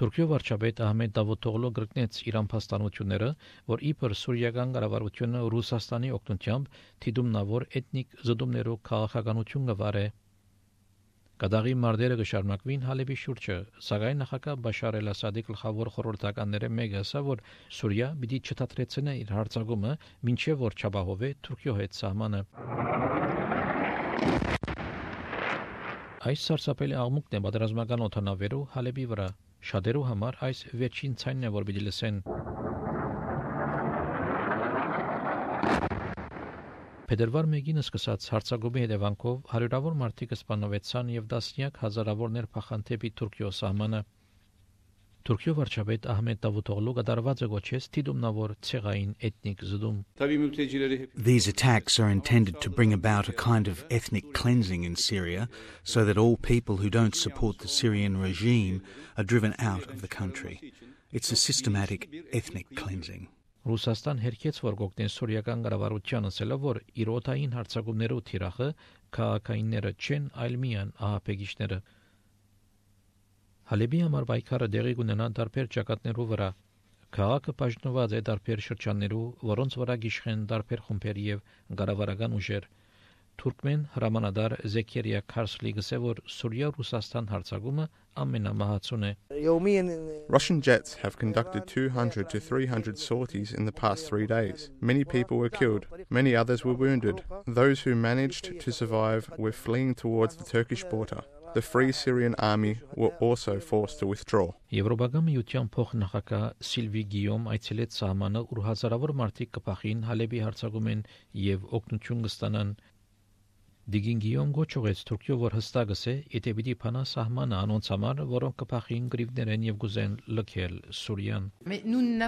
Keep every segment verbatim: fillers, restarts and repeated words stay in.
Թուրքիո վարչապետ Ահմեդ Դավուտօղլու գրկնեց իր ամփոստանությունները, որ իբր սուրիական կառավարությունը Ռուսաստանի օգնությամբ թիդումնավոր էթնիկ զդումներով քաղաքականություն կվարե։ Կադաղի մարտերը կշարունակվին Հալեբի շուրջը, սակայն նախագահ Բաշար էլ-Ասադի գլխավոր խորհրդականները մեկը ասա, որ Սուրիա պիտի չթատրեցնե իր հարձակումը, մինչև որ չապահովե Թուրքիո հետ սահմանը։ Այս սարսափելի աղմուկն է պատերազմական օդանավերու Հալեբի վրա։ Շատերու համար այս վերջին ցայնն է, որ պիտի լսեն։ Փետրվար մեկին սկսած հարձակումի հետևանքով հարյուրավոր մարդիկ սպանվեցան եւ տասնյակ հազարավորներ փախան դեպի Թուրքիո սահմանը։ Թուրքիո վարչապետ Ահմեդ Դավուտօղլու կատարված գոչեց թիդումնավոր ցեղային էթնիկ զդում։ These attacks are intended to bring about a kind of ethnic cleansing in Syria so that all people who don't support the Syrian regime are driven out of the country. It's a systematic ethnic cleansing. Ռուսաստան հերքեց, որ գողտեն սուրիական կառավարության ասելով, որ իր օդային հարձակումներով թիրախը քաղաքայինները չեն, այլ միայն ահաբեկիչները։ Հալեբի համար պայքարը դեղի կունենա տարբեր ճակատներու վրա։ Քաղաքը բաժնված է տարբեր շրջաններու, որոնց վրա գիշխեն տարբեր խումբեր եւ կառավարական ուժեր։ Թուրքմեն հրամանատար Զեքերիա Քարսլի գսե, որ Սուրիա-Ռուսաստան հարձակումը ամենամահացուն է։ Russian jets have conducted two hundred to three hundred sorties in the past three days. Many people were killed. Many others were wounded. Those who managed to survive were fleeing towards the Turkish border. The Free Syrian Army were also forced to withdraw. Եվրոպական միության փոխնախագահ Սիլվի Գիյոմ այցելեց սահմանը, ուր հազարավոր մարդիկ կփախին Հալեբի հարձակումեն եւ օգնություն կստանան։ Դիգին Գիյոմ գոչողեց Թուրքիո, որ հստակս է, եթե պիտի փանա սահմանը անոնց համար, որոնք կփախին գրիվներեն եւ գուզեն լքել Սուրիան։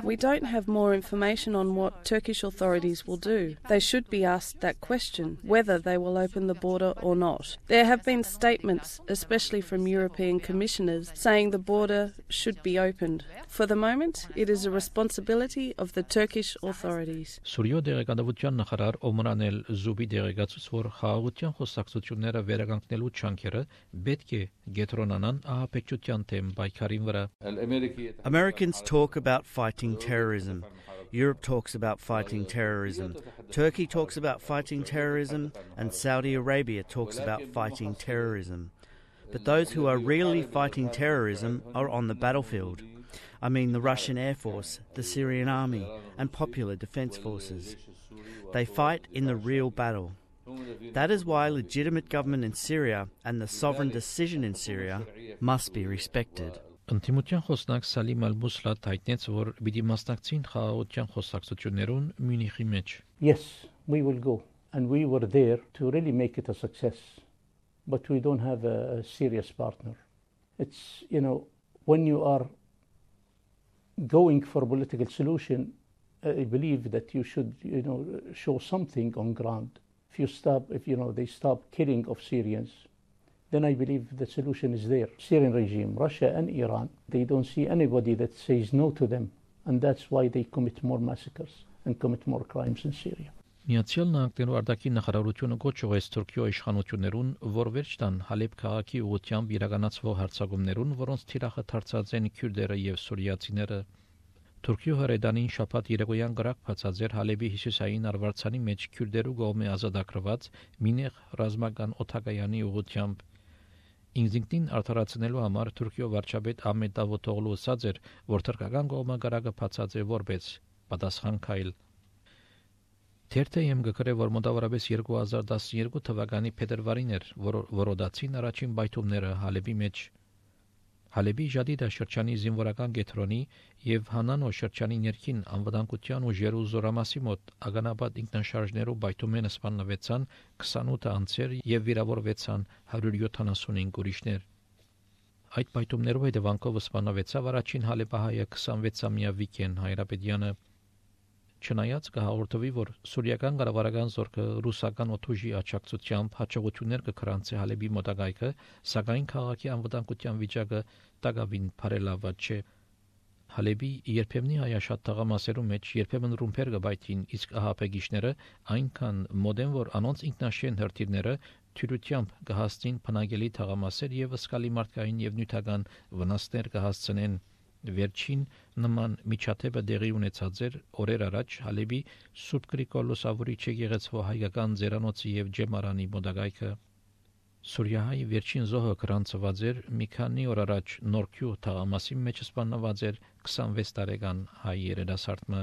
We don't have more information on what Turkish authorities will do. They should be asked that question, whether they will open the border or not. There have been statements, especially from European commissioners, saying the border should be opened. For the moment, it is a responsibility of the Turkish authorities. Սուրիո դեղեկատվության նախարար Օմրանել Զուբի դեղեկացուց, որ խաղաղության խոսակցությունները վերականգնելու չանքերը պետք է գետրոնանան ահաբեկչության թեմ պայքարին վրա։ Americans talk about fighting terrorism. Europe talks about fighting terrorism. Turkey talks about fighting terrorism, and Saudi Arabia talks about fighting terrorism. But those who are really fighting terrorism are on the battlefield. I mean the Russian Air Force, the Syrian Army, and popular defense forces. They fight in the real battle. That is why legitimate government in Syria and the sovereign decision in Syria must be respected. Ընդդիմության խոսնակ Սալիմ Ալ-Մուսլա հայտնեց, որ պիտի մասնակցին խաղաղության խոսակցություններուն Մյունիխի մեջ։ Yes, we will go, and we were there to really make it a success, but we don't have a, a serious partner. It's, you know, when you are going for a political solution, I believe that you should, you know, show something on ground. If you stop, if you know they stop killing of Syrians, then I believe the solution is there. Syrian regime, Russia and Iran, they don't see anybody that says no to them, and that's why they commit more massacres and commit more crimes in Syria. Միացյալ Նահանգներու արտաքին նախարարությունը գոչողեց Թուրքիո իշխանություններուն, որ վերջ տան Հալեբ քաղաքի ուղղությամբ իրականացվող հարձակումներուն, որոնց թիրախը դարձած են քյուրդերը եւ սուրիացիները։ Թուրքիո հրեդանին շաբաթ երեկոյան գրակ բացած էր Հալեբի հյուսիսային արվարձանի մեջ քյուրդերու կողմէ ազատագրված մինեղ ռազմական օթակայանի ուղղությամբ։ Ինքնին արդարացնելու համար Թուրքիո վարչապետ Ահմեդ Դավուտօղլու ասաց էր, որ թուրքական կողմը գրակը բացած է որպես պատասխան քայլ։ Թերթեյեմ գկրե, որ մոտավորապես երկու հազար տասնյոթ թվականի փետրվարին էր, որ որոդացին առաջին բայթումները Հալեբի մեջ։ Հալեբի Ժադիդա շրջանի զինվորական կենտրոնի եւ Հանանո շրջանի ներքին անվտանգության ուժերու զորամասի մոտ ագանաբադ ինքնաշարժներով բայթումեն սպանվեցան քսանութ անձեր եւ վիրավորվեցան հարյուր յոթանասունհինգ ուրիշներ։ Այդ բայթումներով հետևանքով սպանվեցավ առաջին հալեբահայը քսանվեցամյա Վիկեն Հայրապետյանը։ Չնայած կհաղորդվի, որ սուրիական կառավարական զորքը ռուսական օթուժի աջակցությամբ հաջողություններ կգրանցի Հալեբի մոտակայքը, սակայն քաղաքի անվտանգության վիճակը տակավին բարելավված չէ։ Հալեբի երբեմնի հայաշատ թաղամասերու մեջ երբեմն ռումբեր կբայթին, իսկ ահաբեկիչները այնքան մոտ են, որ անոնց ինքնաշեն հրթիռները թյուրությամբ կհասցնին բնակելի թաղամասեր եւ սկալի մարդկային եւ նյութական վնասներ կհասցնեն։ Վերջին նման միջադեպը դեղի ունեցած էր օրեր առաջ Հալեբի Սուրբ Գրիգոր Լուսավորիչ եկեղեցու հայկական ձերանոցի եւ ջեմարանի մոդագայքը Սուրիայի վերջին զոհը գրանցված էր մի քանի օր առաջ Նորքյու թաղամասի մեջ սպանված էր քսանվեց տարեկան հայ երիտասարդը